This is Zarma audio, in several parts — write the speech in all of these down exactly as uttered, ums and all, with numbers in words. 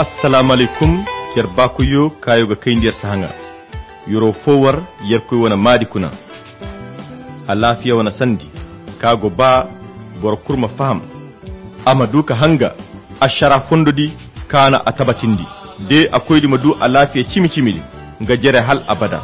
Assalaamu alaykum. Yer baakoyyo kaayo ga kayndi yer sahaŋa. Yeroo foo war yerkoy wane maadi kuna. Alaafiya wane sandi ka go ba boro kul ma faham, a ma du ka hanga ašaraa fondodi ka na a tabatindi. De a koydi ma du alaafiya cimi-cimidi nga jere hal abada.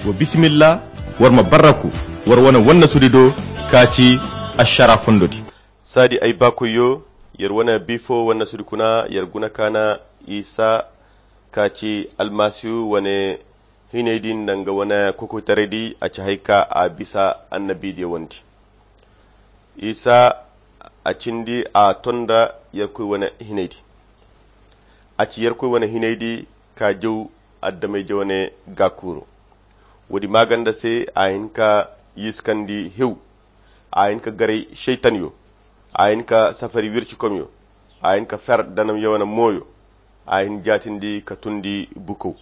Wa bisimilla, war ma barraku war wane wannasudi do ka ci ašaraa fondodi. Saadi ay baakoyyo, yer wane biifo wannasudi kuna yer guna ka na isa ka ci almasihu wane hinaydi nda nga wane kokoytaraydi a ci hari ka a bisa annabidiyo wandi. Isa a cindi a ton nda yerkoy wane hinaydi. A ci yerkoy wane hinaydi ka jaw adamey jawane gaakuuro. Woodi maaganda se a hin ka yiskandi hew. A hin ka garay šaytanyo. A hin ka safari wircikomyo. A hin ka fer danamyo wane mooyo. A hin jaatindi ka tundi bukow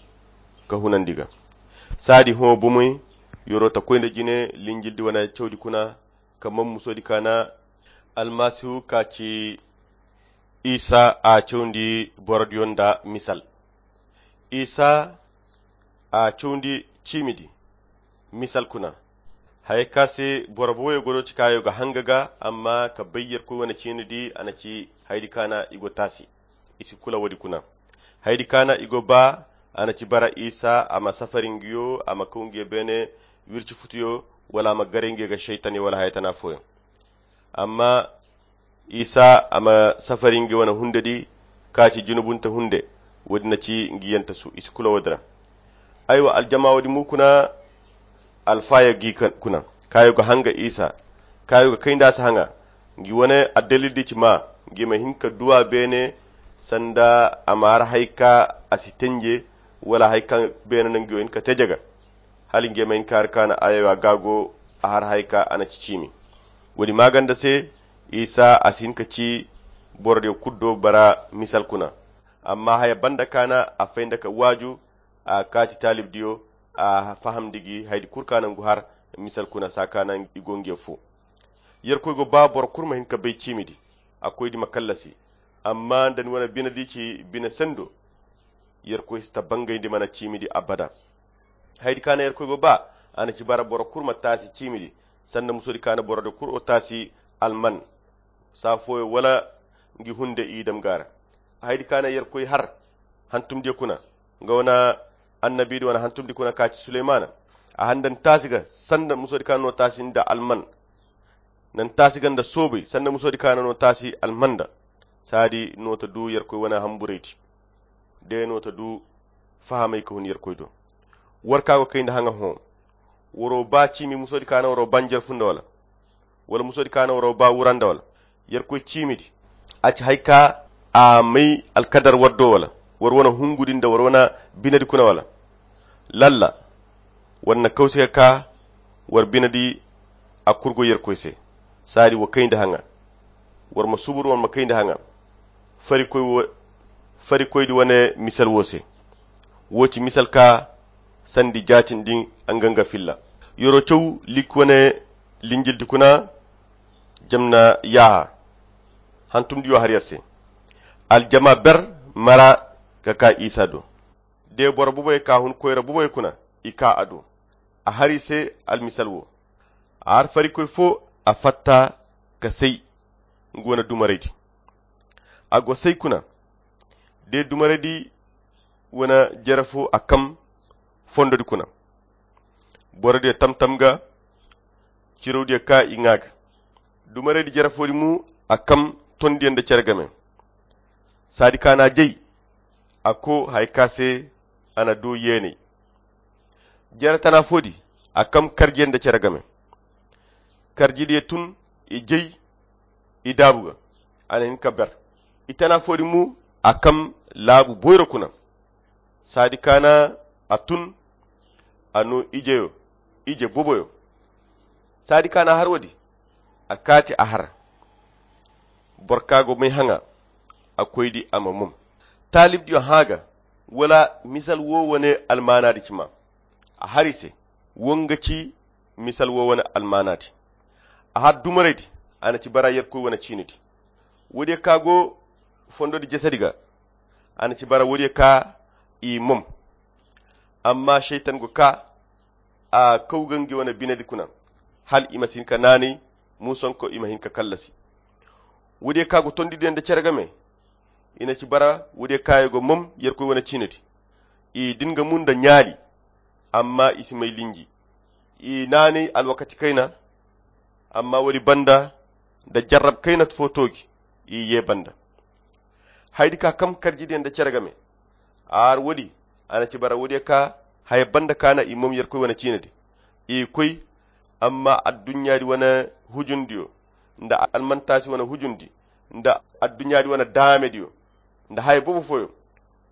ka hunandi ga. Saadi hõ bomoy yeroo ta koy nda jine linjildi wane cawdi kuna ka man musoodi ka na almasihu ka ci isa a cawndi borodiyo nda misal. Isa a cawndi ciimidi misal kuna. Haya ka se boro boboyo go do ci kaayo ga hanga ga amma ka bay yerkoy wane ciinidi a na ci haydi ka na i go taasi. I si kula woodi kuna. Haydi ka na i go ba a na ci bara isa a ma safari nguyo a ma kaw nguyo beene wirci futuyo wala a ma garay nguyo ga šaytanyo wala haya tana fooyo. Amma isa a ma safari ngi wane hundedi ka ci junubunte hunde. Woodi na ci ngi yentasu i si kula woodi ra. Aywa aljama woodi mo kuna alfaaya gi kuna kaayo ga hanga isa kaayo ga kay nda a si haŋa. Ngi wane addalildi ci ma ngi ma hin ka duwa beene sanda a ma har hari ka a si tenje wala hari ka beene no ngi wo hin ka te jaga. Hala ngi ma hin ka har ka na aywa gaago a har hari ka a na ci ciimi. Woodi maaganda se isa a si hin ka ci borodiyo kul do bara misal kuna. Amma haya banda ka na a fay nda ka waaju a kaati taalibdiyo a fahamndi gi haydi kul ka na ngu har misal kuna saa ka na i go nge fo. Yerkoy go ba boro kul ma hin ka bay ciimidi a koydi ma kallasi. Amma nda ni wane binedi ci bine sendo yerkoy si ta bangayndi mana ciimidi abada. Haydi ka na yerkoy go ba a na ci bara boro kul ma taasi ciimidi sanda musoodi ka na borodiyo kul o taasi alman saa fooyo wala ngi hunde i dam ga a ra. Haydi ka na yerkoy har hantumdiyo kuna nga wane annabiidi wane hantumdi kuna ka ci suleymaana. A har nda ni taasi ga sanda musoodi ka na no taasi nda alman. Nda ni taasi ga nda soobay sanda musoodi ka na no taasi alman nda. Saadi no ta du yerkoy wane hamburaydi de no ta du fahamay ka hun yerkoy do. War ka go kay nda haŋa hõ. Waroo ba ciimi musoodi ka na waroo ba ni jere fu nda wala? Wala musoodi ka na waroo ba wura nda wala? Yerkoy ciimidi a ci hari ka a may alkadar war do wala? War wane hungudi nda war wane binedi kuna wala? Lalla war na kawsi ka ka war binedi a kurgo yerkoy se. Saadi wa kay nda haŋa. War ma subur war ma kay nda haŋa. Farikoydi wane misal wo se. Wo ci misal ka sandi jaatindi nga nga filla. Yeroo caw likki wane linjildi kuna jam na yaaha. Hantumdiyo har yer se. Aljama ber mara ka ka isa do. De boro boboyo ka hun koyra boboyo kuna i ka a do. A har i se almisal wo. A har farikoy fo a fatta ka say. Ngu wane dumaraydi a go say kuna. De dumaraydi wane jere fo a kam fondodi kuna. Borodiyo tam-tam ga cirawdiyo ka i ŋaa ga. Dumaraydi jere foodi mo a kam tondiyo nda cere game. Saadi ka na a jay a ko hari ka se a na du yeenay. Jere tana foodi a kam karjiyo nda cere game. Karjidiyo tun i jay i daabu ga. A na hin ka ber i tana foodi mo a kam laabu boyro kuna. Saadi ka na a tun a no ijeyo ije boboyo. Saadi ka na a har woodi a kaati a har. Boro ka go may haŋa a koydi a ma mom. Taalibdiyo hã ga wala misal wo wane almaanaadi ci ma. A har i se wo nga ci misal wo wane almaanaadi. A har dumaraydi a na ci bara yerkoy wane ciinidi. Woodiyo ka go fondodi jesedi ga. A na ci bara woodiyo ka i mom. Amma seytan go ka a kaw ga ngi wane binedi kuna, hala i ma si hin ka naanay, muusonko i ma hin ka kallasi. Woodiyo ka go tondidiyo nda cere game, i na ci bara woodiyo ka i go mom yerkoy wane ciinedi. I din ga mun nda ɲaali, amma i si may linji. I naanay alwakati kayna, amma woodi banda nda jarrab kayna fo tooji, i ye banda. Haydi ka kam karjidiyo nda cere game. A har woodi, a na ci bara woodiyo ka haya banda kaana i mom yerkoy wane ciinedi. I koy, amma adduɲɲaadi wane hujundiyo nda almantaasi wane hujundi nda adduɲɲaadi wane daamediyo nda haya boobo fooyo,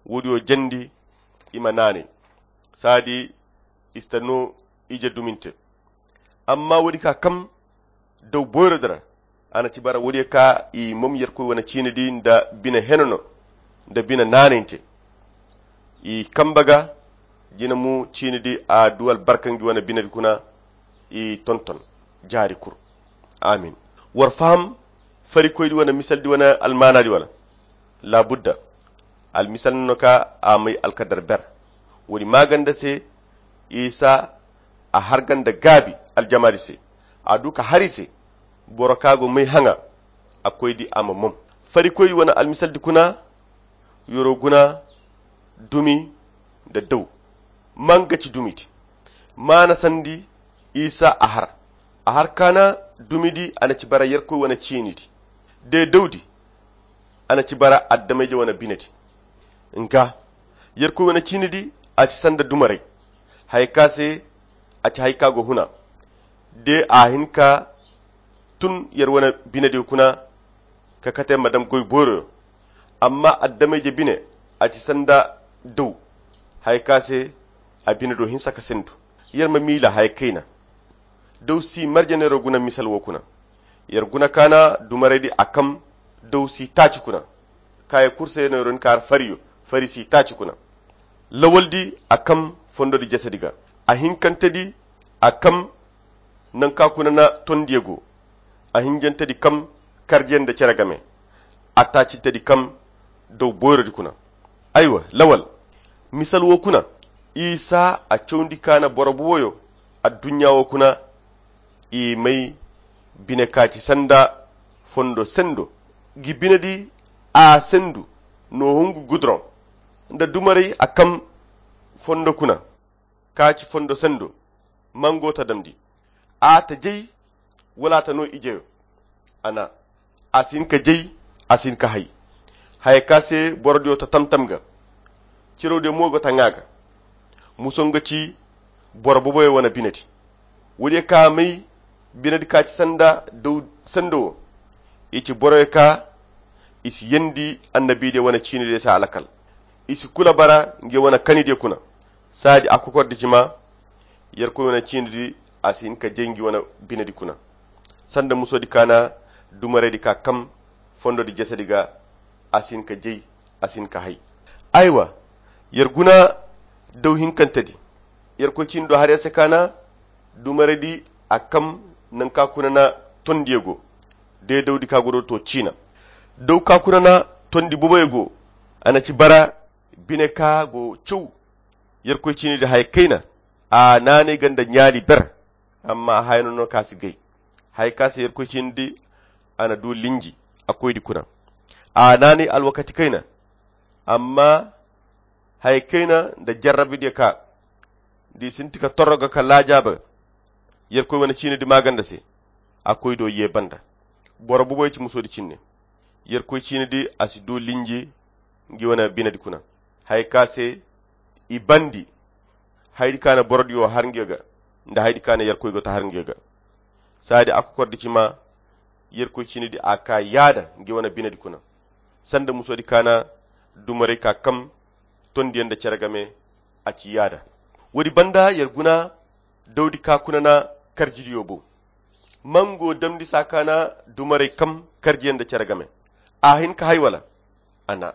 woodiyo jandi i ma naanay. Saadi i si ta no ije duminte. Amma woodi ka kam daw boyro di ra, a na ci bara woodiyo ka i mom yerkoy wane ciinedi nda bine henono nda bine naanayinte. I kamba ga jina mu ciinedi a du albarka ngi wane binedi kuna. I tonton jaari kul. Amin. War faham farikoydi wane misaldi wane almaanaadi wala? Laabudda. Almisal no ka a may alkadar ber. Woodi maaganda se, isa a har ganda gaabi aljamaadi se. A du ka har i se, boro ka go may haŋa a koydi a ma mom. Farikoydi wane almisaldi kuna, yoro guna dumi nda daw. Manga ci dumidi maana sandi, isa a har a har kaana dumidi a na ci bara yerkoy wane ciinidi. De dawdi a na ci bara addamayje wane binedi. Nga yerkoy wane ciinidi a ci sanda dumaray. Haya ka se a ci haya ka go huna. De a hin ka tun yer wane binediyo kuna ka kate ma dam goy boyroyo. Amma addamayje bine a ci sanda daw. Haya ka se a bine do hinsa ka sendu. Yer ma miila haya kayna. Daw si marje neero guna misal wo kuna. Yer guna kaana dumaraydi a kam daw si taaci kuna. Kaaya kurse neero ni ka har fariyo fari si taaci kuna. Lawaldi a kam fondodi jesedi ga. A hinkantedi a kam nanka kuna na tondiyo go. A hinjantedi kam karjiyandi nda cere game. A taacintedi kam daw boyrodi kuna. Aywa lawal, misal wo kuna. Isa a cawndi kaana boro boboyo adduɲɲa wo kuna. I may bine ka ci sanda fondo sendo. Gi binedi a sendu no hungu gudroŋ nda dumaray a kam fondo kuna ka ci fondo sendo. Mango ta damndi a ta jay wala a ta no ijeyo. A na a si hin ka jay, a si hin ka hay. Haya ka se borodiyo ta tam-tam ga. Cirawdiyo mo go ta ŋaa ga. Muso nga ci boro boboyo wane binedi. Woodiyo ka may binedi ka ci sanda daw sendo wo. I ci boroyo ka i si yendi annabidiyo wane ciinidiyo se alakal. I si kula bara ngiyo wane kanidiyo kuna. Saadi a kokordi ci ma yerkoy wane ciinidi a si hin ka jay ngi wane binedi kuna. Sanda musodi kaana dumaraydi ka kam fondodi jesedi ga. A si hin ka jay, a si hin ka hay. Aywa, yer guna daw hinkantedi. Yerkoy ciini do har yer se kaana dumaraydi a kam nanka kuna na tondiyo go. De dawdi ka go do to ciina daw ka kuna na tondi boboyo go. A na ci bara bine ka go caw. Yerkoy ciinidi haya kayna. A naanay ganda ɲaali ber. Amma a haya no no ka si gay. Haya ka se yerkoy ciinidi a na du linji a koydi kuna. A naanay alwakati kayna. Amma haya kayna nda jarrabidiyo ka di sinti ka torro ga ka laajaaba yerkoy wane ciinidi maaganda se. A koydo ye banda. Boro boboyo ci musodi cinne. Yerkoy ciinidi a si du linji ngi wane binedi kuna. Haya ka se i bandi haydi ka na borodiyo har ngiyo ga nda haydi ka na yerkoy go ta har ngiyo ga. Saadi a kokordi ci ma yerkoy ciinidi a ka yaada ngi wane binedi kuna. Sanda musodi kaana dumaray ka kam tondiyo nda cere game. A ci yaada. Woodi banda yer guna dawdi ka kuna na karjidiyo bow. Mango damndi saa kaana dumaray kam karjiyo nda cere game. A hin ka hay wala? A na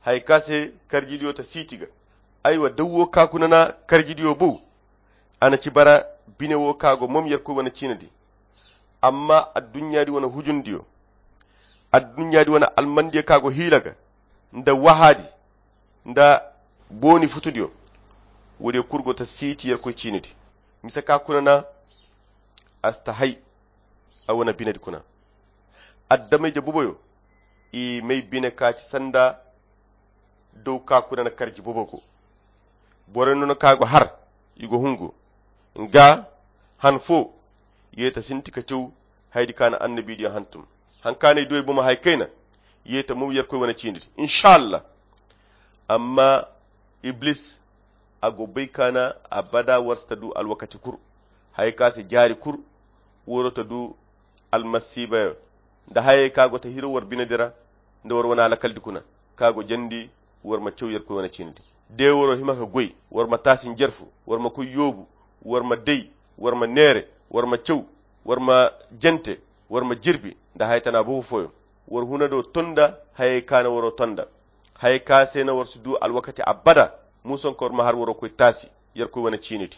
haya ka se karjidiyo ta siiti ga. Aywa daw wo ka kuna na karjidiyo bow. A na ci bara bine wo ka go mom yerkoy wane ciinidi. Amma adduɲɲaadi wane hujundiyo adduɲɲaadi wane almandiyo ka go hiila ga nda wahaadi nda booni futudiyo. Woodiyo kulu go ta siiti Yerkoy ciinidi. Mise ka kuna na a si ta hay a wane binedi kuna. Adama-ije boboyo i may bine ka ci sanda dow ka kuna na karji bobo go. Borey no no ka go har i go hungu nga han fo. Ye ta sinti ka caw haydi ka na annabidiyo hantum han ka na i duwey bomo hay kayna. Ye ta mum Yerkoy wane ciinidi inshallah. Amma iblis a go bay ka na abada war si ta du alwakati kul. Haya ka se jaari kul waro ta du almasiibayo nda hayey ka go ta hiro war binedi ra nda war wane alakaldi kuna ka go jandi. War ma caw Yerkoy wane ciinidi de waro hima ka goy war ma taasi njarfu war ma koy yoobu war ma day war ma neere war ma caw war ma jante war ma jirbi nda haya tana bobo fooyo. War huna do tonda hayey ka na waro tonda. Haya ka se na war si du alwakati abada. Muusonka war ma har waro koy taasi Yerkoy wane ciinidi.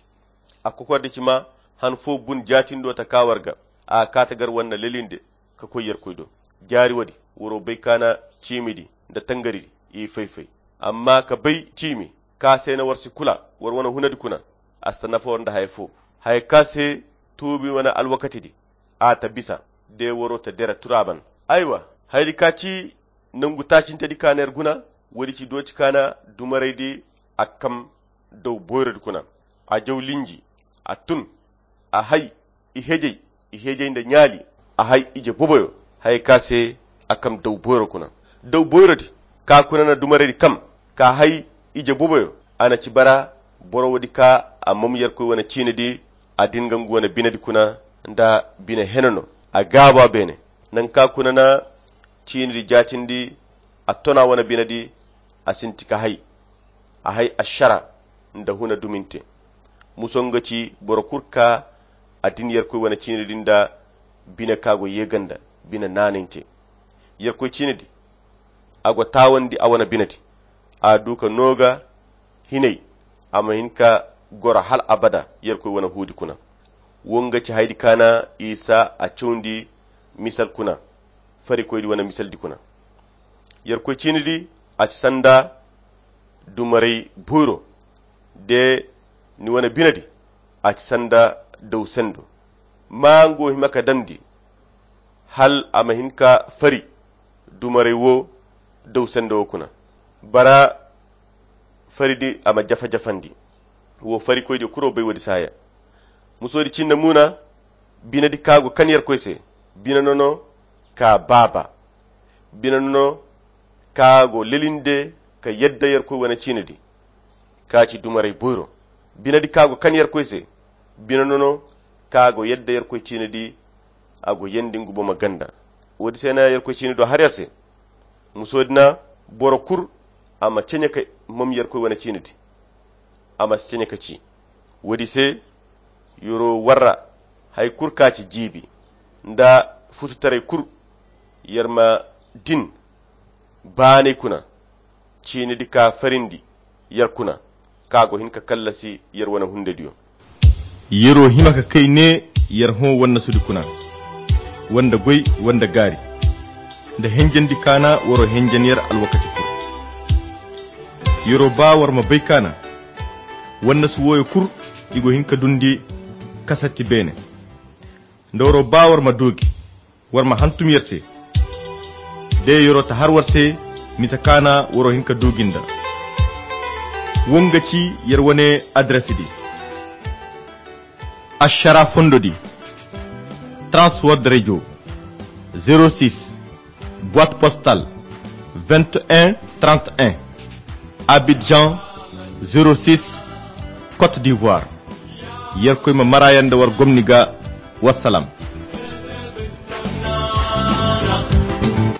A kokordi ci ma han fo bun jaatindo ta ka war ga a ga ka ta gar war na lelinde ka koy Yerkoy do. Jaari woodi waro bay ka na ciimidi nda tangaridi i fay-fay. Amma ka bay ciimi ka se na war si kula war wane hunadi kuna a si ta nafa war nda haya fo. Haya ka se tuubi wane alwakatidi a ta bisa de waro ta dira turaaban. Aywa, hayadi ka ci nangu taacintedi ka na yer guna. Woodi ci dooci ka na dumaraydi a kam daw boyrodi kuna. A jaw linji a tun a hay i hejey i hejey nda ɲaali. A hay ije boboyo haya ka se a kam daw boyro kuna. Daw boyrodi ka kuna na dumaraydi kam ka hay ije boboyo. A na ci bara boro woodi ka a mam Yerkoy wane ciinidi. A din ga ngu wane binedi kuna nda bine hene no a gaabo a beene. Nangu ka kuna na ciinidi jaatindi a tona wane binedi. A sinti ka hay a hay ašara nda huna duminte. Muso nga ci boro kul ka a din Yerkoy wane ciinidi nda bine ka go yeeganda bine naanante. Yerkoy ciinidi a go taawandi a wane binedi. A du ka nooga hinay a ma hin ka goro hal abada Yerkoy wane huudi kuna. Wo nga ci hayadi ka na isa a cawndi misal kuna farikoydi wane misaldi kuna. Yerkoy ciinidi a ci sanda dumaray boyro de ni wane binedi a ci sanda daw sendo. Ma nga wo hima ka damndi hal a ma hin ka fari dumaray wo daw sendo wo kuna. Bara faridi a ma jafa-jafandi. Wo farikoydiyo kuro bay woodi saaya. Musoodi cinna muuna binedi ka go kan Yerkoy se. Bine no no ka baaba. Bine no no ka go lelinde ka yadda Yerkoy wane ciinidi ka ci dumaray boyro. Binedi ka go kan Yerkoy se. Bine no no ka go yadda Yerkoy ciinidi a go yeendi ngu bomo ganda. Woodi se na Yerkoy ciinido har yer se. Musoodi na boro kul a ma ceɲe ka mam Yerkoy wane ciinidi. A ma si ceɲe ka ci woodi se. Yeroo warra hay kul ka ci jiibi nda fututaray kul. Yer ma din baanay kuna ciinidi ka farindi yer kuna ka go hin ka kallasi yer wane hundediyo. Yeroo hima ka kay ne yer hõ wannasudi kuna wanda goy wanda gaari nda henjandi kaana waroo henjan yer alwakati kul. Yeroo ba war ma bay kaana wannasu wooyo kul i go hin ka dundi kasatti beene. Nda waroo ba war ma doogi war ma hantum yer se. De yeroo ta har war se mise kaana waroo hin ka doogi nda wo nga ci yer wane adresidi. Ašara fondodi, transword radio, zéro six, boîte postale, vingt et un trente et un, Abidjan, zéro six, Côte d'Ivoire. Yerkoy ma mara yer nda war gomni ga. Wassalam.